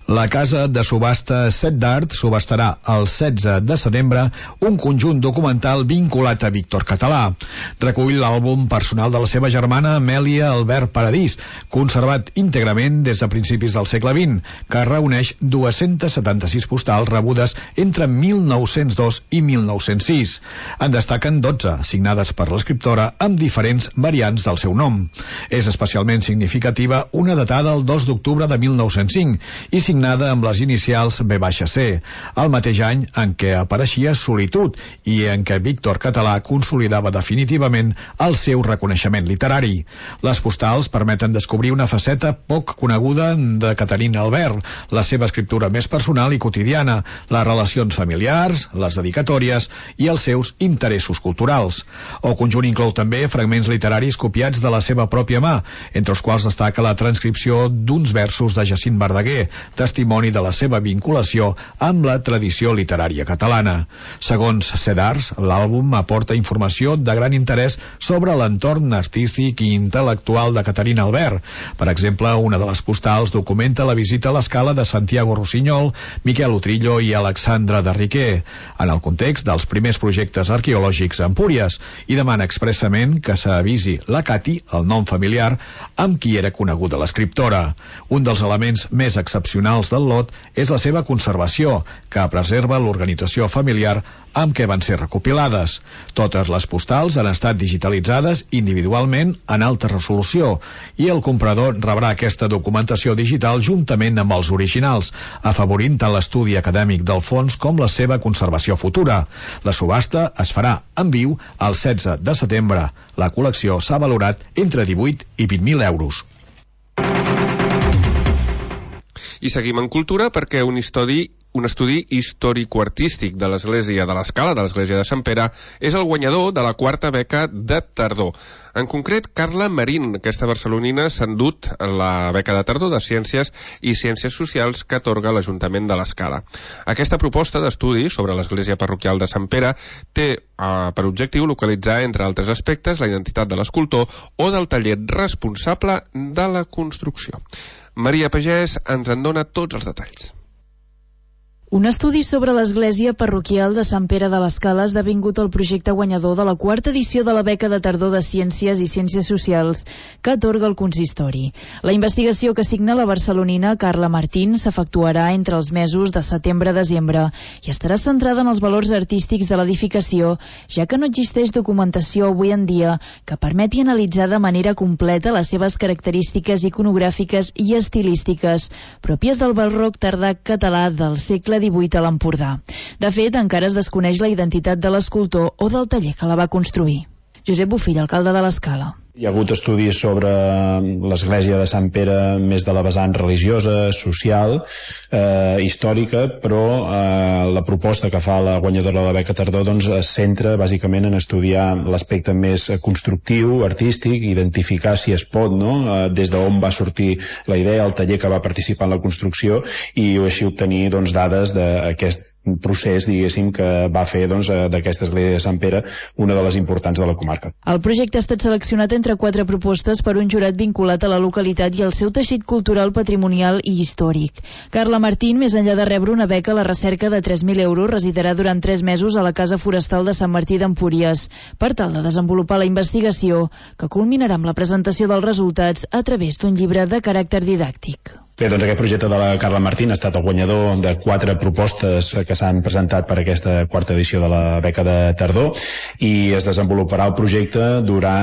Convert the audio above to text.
La casa de subhasta Set d'Art subhastarà el 16 de setembre un conjunt documental vinculat a Víctor Català. Recull l'àlbum personal de la seva germana Amèlia Albert Paradís, conservat íntegrament des de principis del segle XX, que reuneix 276 postals rebudes entre 1902 i 1906. En destaquen 12, signades per l'escriptora amb diferents variants del seu nom. És especialment significativa una datada el 2 d'octubre de 1905 i signada amb les inicials B-C, el mateix any en què apareixia Solitud i en què Víctor Català consolidava definitivament el seu reconeixement literari. Les postals permeten descobrir una faceta poc coneguda de Caterina Albert, la seva escriptura més personal i quotidiana, les relacions familiars, les dedicatòries i els seus interessos culturals. El conjunt inclou també fragments literaris copiats de la seva pròpia mà, entre els quals destaca la transcripció d'uns versos de Jacint Verdaguer, testimoni de la seva vinculació amb la tradició literària catalana. Segons Set d'Art, l'àlbum aporta informació de gran interès sobre l'entorn artístic i intel·lectual de Caterina Albert. Per exemple, una de les postals documenta la visita a l'escala de Santiago Rossinyol, Miquel Utrillo i Alexandre de Riquer, en el context dels primers projectes arqueològics a Empúries, i demana expressament que s'avisi la Cati, el nom familiar, amb qui era coneguda l'escriptora. Un dels elements més excepcionals del lot és la seva conservació, que preserva l'organització familiar amb què van ser recopilades. Totes les postals han estat digitalitzades individualment en alta resolució i el comprador rebrà aquesta documentació digital juntament amb els originals, afavorint tant l'estudi acadèmic del fons com la seva conservació futura. La subhasta es farà en viu el 16 de setembre. La col·lecció s'ha valorat entre 18 i 20.000 euros. I seguim en cultura perquè un estudi històrico-artístic de l'Església de l'Escala, de l'Església de Sant Pere, és el guanyador de la 4ª beca de tardor. En concret, Carla Marín, aquesta barcelonina, s'ha endut la beca de tardor de Ciències i Ciències Socials que atorga l'Ajuntament de l'Escala. Aquesta proposta d'estudi sobre l'Església Parroquial de Sant Pere té per objectiu localitzar, entre altres aspectes, la identitat de l'escultor o del taller responsable de la construcció. Maria Pagès ens en dona tots els detalls. Un estudi sobre l'església parroquial de Sant Pere de l'Escala ha esdevingut el projecte guanyador de la 4ª edició de la beca de tardor de Ciències i Ciències Socials que atorga el consistori. La investigació que signa la barcelonina Carla Martín s'efectuarà entre els mesos de setembre a desembre i estarà centrada en els valors artístics de l'edificació, ja que no existeix documentació avui en dia que permeti analitzar de manera completa les seves característiques iconogràfiques i estilístiques, pròpies del barroc tardà català del segle XVIII a l'Empordà. De fet, encara es desconeix la identitat de l'escultor o del taller que la va construir. Josep Bofill, alcalde de l'Escala. Hi ha hagut estudis sobre l'església de Sant Pere més de la vessant religiosa, social, històrica, però la proposta que fa la guanyadora de la beca tardor es centra bàsicament en estudiar l'aspecte més constructiu, artístic, identificar si es pot, des d'on va sortir la idea, el taller que va participar en la construcció i així obtenir dades d'aquest procés, diguéssim, que va fer d'aquesta església de Sant Pere una de les importants de la comarca. El projecte ha estat seleccionat entre 4 propostes per un jurat vinculat a la localitat i al seu teixit cultural, patrimonial i històric. Carla Martín, més enllà de rebre una beca a la recerca de 3.000 euros, residirà durant 3 mesos a la Casa Forestal de Sant Martí d'Empúries, per tal de desenvolupar la investigació, que culminarà amb la presentació dels resultats a través d'un llibre de caràcter didàctic. Bé, aquest projecte de la Carla Martín ha estat el guanyador de 4 propostes que s'han presentat per aquesta 4ª edició de la beca de tardor i es desenvoluparà el projecte durant